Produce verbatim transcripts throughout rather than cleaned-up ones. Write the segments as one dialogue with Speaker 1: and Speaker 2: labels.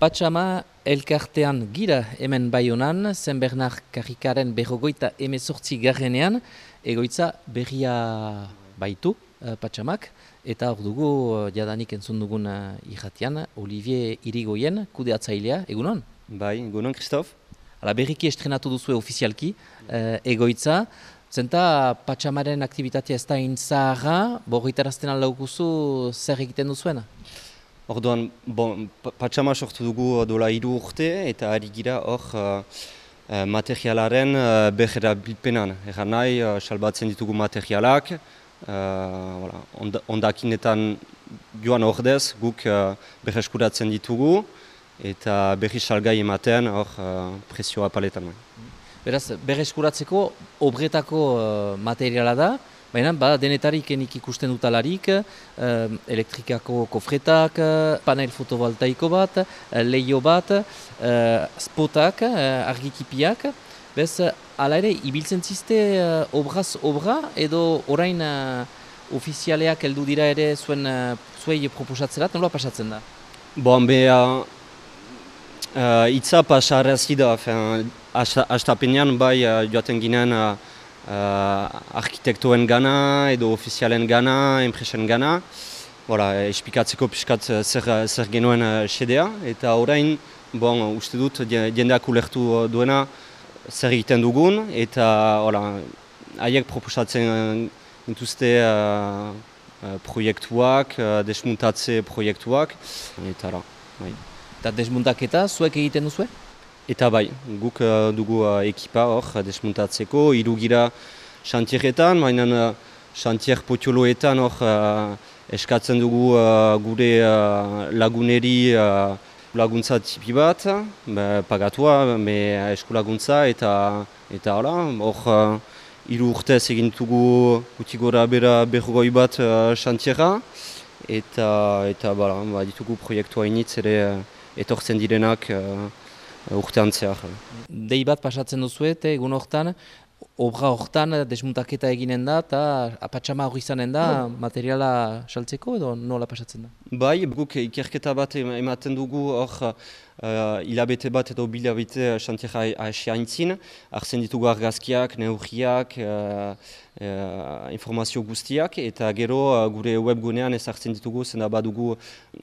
Speaker 1: Patxama elkartean gira hemen Baionan, Zen Bernard Karrikaren berrogoita emezortzi garrenean, egoitza berria baitu uh, Patxamak, eta hor dugu uh, jadanik entzun dugun uh, irratian, Olivier Irigoyen, kudeatzailea, egunon?
Speaker 2: Bai, egunon, Christophe.
Speaker 1: Hala, berriki estrenatu duzue ofizialki uh, egoitza, zenta Patxamaren aktivitatea ez da intzaharra, borritarazten aldaukuzu zer egiten duzuena?
Speaker 2: Orduan, bon, Patxama sortu dugu dola hiru urte eta ari gira hor uh, materialaren uh, berrerabilpenan. Erran nahi, uh, salbatzen ditugu materialak, uh, voilà, ond ondakinetan joan ordez guk uh, berreskuratzen ditugu eta berri salgai ematen hor uh, presioa paletan.
Speaker 1: Beraz, berreskuratzeko obretako uh, materiala da, baina bada denetarik enik ikusten dutalarik, uh, elektrikako kofretak, uh, panel fotovoltaiko bat, uh, leio bat, uh, spotak, uh, argikipiak. Bez, hala ere, ibiltzen ziste uh, obraz obra edo orain uh, ofizialeak heldu dira ere zuen uh, zuei proposatzerat, nola pasatzen da?
Speaker 2: Bon, be, uh, uh, itza pasarazi da, hastapenean bai uh, joaten ginen uh, Uh, arkitektoen gana edo ofizialen gana, enpresen gana. Voilà, espikatzeko piskat zer, zer genuen uh, xedea. Eta orain, bon, uste dut, jendeak ulertu duena zer egiten dugun. Eta haiek proposatzen dituzte uh, uh, proiektuak, uh, desmuntatze proiektuak. Eta ara, bai.
Speaker 1: Eta desmuntaketa zuek egiten duzue?
Speaker 2: Eta bai, guk uh, dugu uh, ekipa hor desmuntatzeko, hiru gira xantieretan, baina uh, xantier potioloetan hor uh, eskatzen dugu uh, gure uh, laguneri uh, laguntza tipi bat, be, pagatua, be, eskulaguntza eta eta hala, hor uh, hiru urtez egin dugu guti gora bera berrogoi bat xantiera uh, eta, eta bala, ba, ditugu proiektua initz ere uh, etortzen direnak uh, urtean zehar.
Speaker 1: Dei bat pasatzen duzu eta egun hortan, obra hortan desmuntaketa eginen da eta Patxama hori izanen da materiala saltzeko edo nola pasatzen da?
Speaker 2: Bai, guk ikerketa bat ematen dugu hor uh, hilabete bat edo bilabete xantiera asiaintzin, hartzen ditugu argazkiak, neurriak, uh, uh, informazio guztiak eta gero uh, gure webgunean ez hartzen ditugu, zena badugu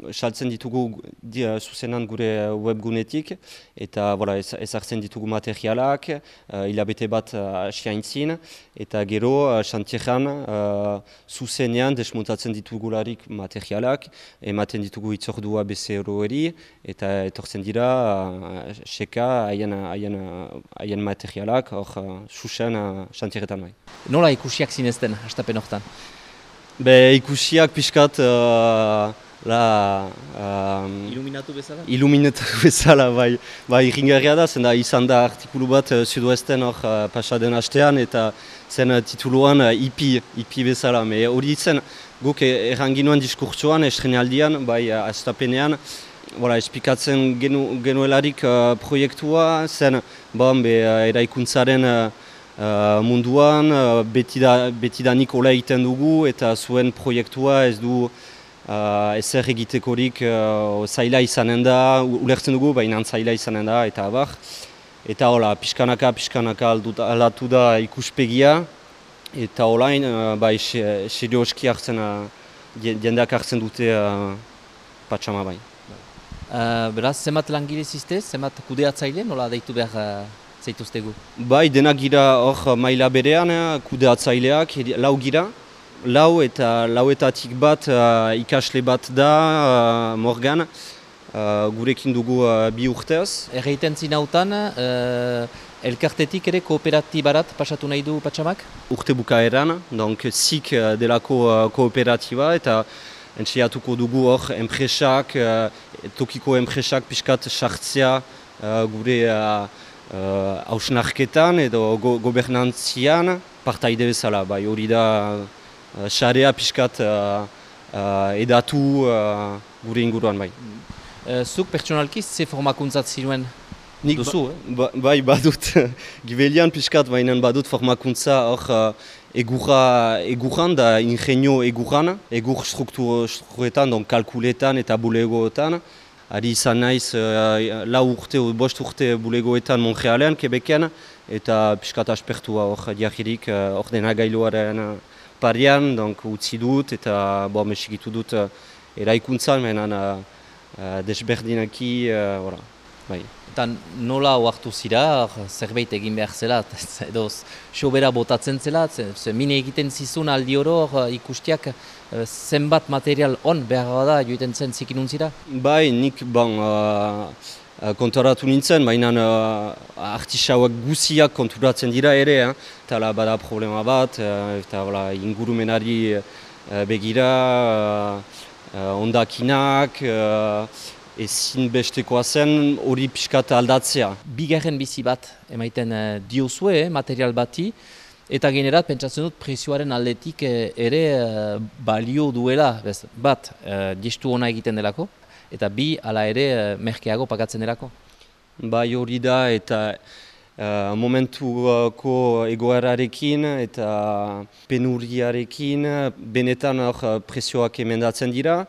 Speaker 2: saltzen ditugu di, uh, zuzenan gure webgunetik eta voilà, ez, ez hartzen ditugu materialak, uh, hilabete bat uh, asiaintzin eta gero xantieran uh, uh, zuzenean desmontatzen ditugularik materialak, ematen ditugu itzordua bezeroeri eta etortzen dira uh, seka haien haien materialak hor uh, susen xantieretan uh, bai.
Speaker 1: Nola ikusiak zinezten hastapen hortan?
Speaker 2: Be ikusiak pixkat uh, la um,
Speaker 1: iluminatu bezala?
Speaker 2: Iluminatu bezala bai, bai irringarria da, zen da izan da artikulu bat uh, Sudoesten hor uh, pasaden hastean eta zen uh, tituluan uh, ipi, ipi bezala, me hori zen guk erranginuen diskurtsoan, estrenaldian, bai hastapenean, voilà, espikatzen genu, genuelarik uh, proiektua, zen bon, be, uh, eraikuntzaren uh, uh, munduan, uh, betida, betidanik hola egiten dugu, eta zuen proiektua ez du uh, ezer egitekorik uh, zaila izanen da, ulertzen dugu, baina zaila izanen da, eta abar. Eta hola, pixkanaka, pixkanaka aldatu da ikuspegia, eta olain, uh, bai, serioski hartzen, uh, jendeak hartzen dute uh, Patxama bai.
Speaker 1: Uh, beraz, zemat langile zizte, zemat kudeatzaile, nola deitu behar uh, zeituztegu?
Speaker 2: Bai, denak gira hor maila berean, kudeatzaileak, lau gira. Lau eta lauetatik bat uh, ikasle bat da, uh, Morgan, uh, gurekin dugu uh, bi urtez.
Speaker 1: Erreiten zinautan, uh, elkartetik ere kooperatibarat pasatu nahi du Patxamak?
Speaker 2: Urte bukaeran, donc zik delako uh, kooperatiba eta entxeatuko dugu hor enpresak, uh, tokiko enpresak pixkat sartzea uh, gure hausnarketan uh, uh, edo go gobernantzian partaide bezala. Bai, hori da uh, xarea pixkat uh, uh, edatu uh, gure inguruan bai.
Speaker 1: Uh, zuk pertsonalki ze formakuntzat zinuen?
Speaker 2: Nik
Speaker 1: duzu,
Speaker 2: ba, ba, bai badut, gibelian pixkat bainen badut formakuntza hor uh, egurra, egurran da ingenio egurran, egur strukturetan, donc kalkuletan eta bulegoetan. ari izan naiz uh, lau urte, bost urte bulegoetan Montrealen, Quebecen, eta piskat aspertua hor diagirik, hor uh, denagailuaren uh, parian, donc utzi dut, eta bo, mesikitu dut uh, eraikuntzan, menan uh, uh, desberdinaki, uh, bai.
Speaker 1: Eta nola oartu zira, zerbait egin behar zela, edo sobera botatzen zela, ze mine egiten zizun aldi oro ikustiak zenbat material on behar da joiten zen zikinun zira?
Speaker 2: Bai, nik bon, uh, kontoratu nintzen, baina uh, artisauak guziak konturatzen dira ere, eh? Eta bada problema bat, uh, eta wala, ingurumenari uh, begira, uh, uh, ondakinak, uh, ezin bestekoa zen hori pixkat aldatzea.
Speaker 1: Bigarren bizi bat emaiten uh, diozue eh, material bati, eta generat pentsatzen dut prezioaren aldetik eh, ere uh, balio duela, bez, bat uh, gestu ona egiten delako, eta bi ala ere uh, merkeago pagatzen delako.
Speaker 2: Bai hori da eta uh, momentuko egoerarekin eta penuriarekin benetan hor prezioak emendatzen dira.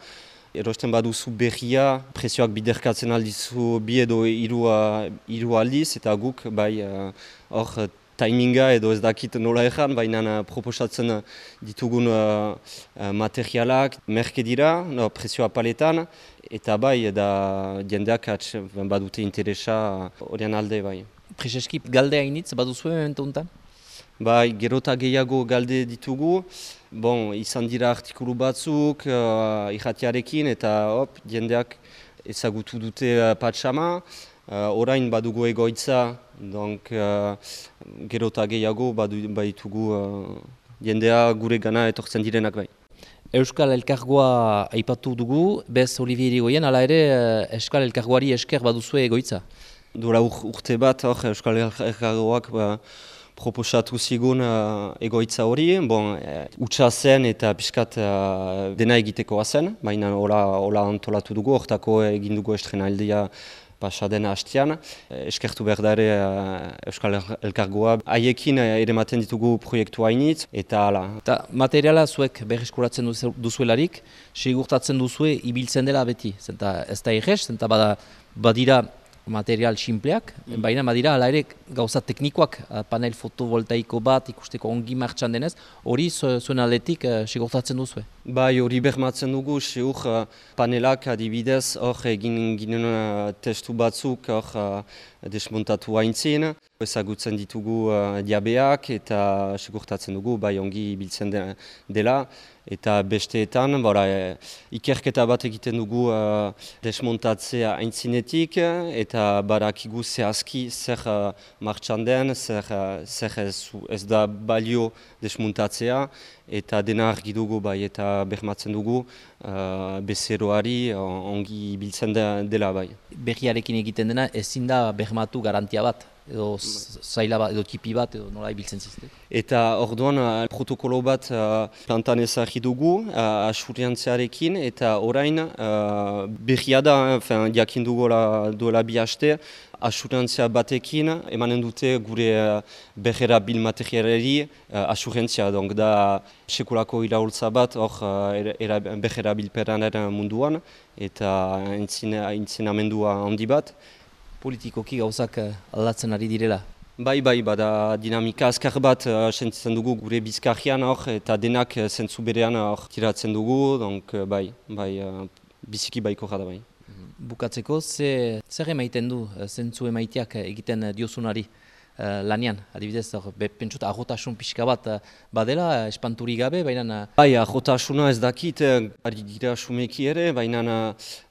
Speaker 2: Erosten baduzu berria, prezioak biderkatzen aldizu bi edo hiru hiru aldiz, eta guk bai hor uh, timinga edo ez dakit nola egan, baina proposatzen ditugun uh, materialak merke dira, no, prezioa paletan, eta bai da jendeak atx badute interesa horien alde bai.
Speaker 1: Prezeski galde hainitz baduzu momentu honetan?
Speaker 2: Bai, gerota gehiago galde ditugu, bon, izan dira artikulu batzuk uh, irratiarekin eta hop, jendeak ezagutu dute uh, patxama, uh, orain badugu egoitza, donc uh, gerota gehiago badu, baitugu uh, jendea gure gana etortzen direnak bai.
Speaker 1: Euskal Elkargoa aipatu dugu, bez Olivier Irigoyen, hala ere Euskal Elkargoari esker baduzue egoitza?
Speaker 2: Duela ur, urte bat, hor, Euskal Elkargoak ba, proposatu zigun uh, egoitza hori, bon, uh, utxa zen eta pixkat uh, dena egitekoa zen, baina hola, hola antolatu dugu, hortako egin dugu estrenaldia pasaden hastian. Eskertu behar da ere uh, Euskal Elkargoa. Haiekin uh, ere maten ditugu proiektu hainitz, eta hala.
Speaker 1: Eta materiala zuek berreskuratzen duzuelarik, segurtatzen duzue ibiltzen dela beti. Zenta ez da egez, zenta bada, badira material simpleak, mm. baina badira hala ere gauza teknikoak, panel fotovoltaiko bat ikusteko ongi martxan denez, hori zuen aldetik uh, segurtatzen duzue?
Speaker 2: Bai, hori bermatzen dugu, seur uh, panelak adibidez, hor egin ginen uh, testu batzuk hor uh, desmontatu haintzien, ezagutzen ditugu uh, diabeak eta segurtatzen dugu, bai ongi biltzen de, dela, eta besteetan, bora, e, ikerketa bat egiten dugu uh, desmontatzea aintzinetik, eta barakigu zehazki zer uh, martxan den, zer, uh, zer ez, ez da balio desmontatzea, eta dena argi dugu bai, eta bermatzen dugu uh, bezeroari ongi biltzen de, dela bai.
Speaker 1: Berriarekin egiten dena ezin da bermatu garantia bat? Edo zaila bat, edo tipi bat, edo nola ibiltzen zizte.
Speaker 2: Eta orduan uh, protokolo bat uh, plantan ezagri dugu, uh, asuriantzearekin, eta orain uh, berria da, uh, jakin dugola duela bi haste, asuriantzia batekin emanen dute gure uh, berrerabil materialari uh, asuriantzia, donc da sekulako iraultza bat hor uh, berrerabilperanaren munduan, eta entzinamendua handi bat.
Speaker 1: Politikoki gauzak aldatzen ari direla?
Speaker 2: Bai, bai, bada dinamika azkar bat uh, sentitzen dugu gure bizkarrian hor, eta denak uh, zentzu berean hor tiratzen dugu, donc uh, bai, bai, uh, biziki baiko jada bai.
Speaker 1: Bukatzeko, ze, zer emaiten du zentzu emaiteak egiten diozunari uh, lanian? Adibidez, pentsut ahotasun pixka bat uh, badela, espanturi gabe, baina...
Speaker 2: Bai, ahotasuna ez dakit, ari gira sumeki ere, baina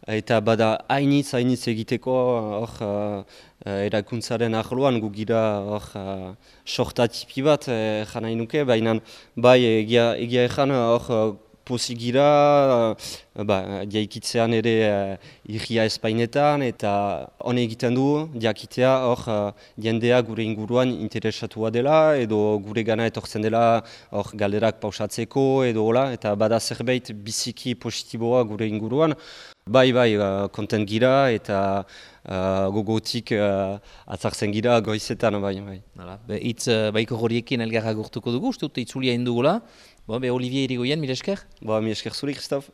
Speaker 2: eta bada hainitz, hainitz egiteko hor uh, erakuntzaren ahloan gu gira hor uh, sortatipi bat eh, jana inuke, baina bai egia, egia ezan hor uh, pozik gira, uh, ba, diaikitzean ere uh, irria espainetan eta hone egiten du diakitea hor uh, jendea gure inguruan interesatua dela edo gure gana etortzen dela hor galderak pausatzeko edo hola, eta bada zerbait biziki positiboa gure inguruan. Bai, bai, uh, kontent gira eta uh, gogotik uh, atzartzen gira goizetan, bai, bai.
Speaker 1: Hala, be, itz uh, baiko horiekin elgarra gurtuko dugu, uste dut itzulia indugula. Bo, be, Olivier Irigoyen, mil esker?
Speaker 2: Ba, mil esker zuri, Christophe.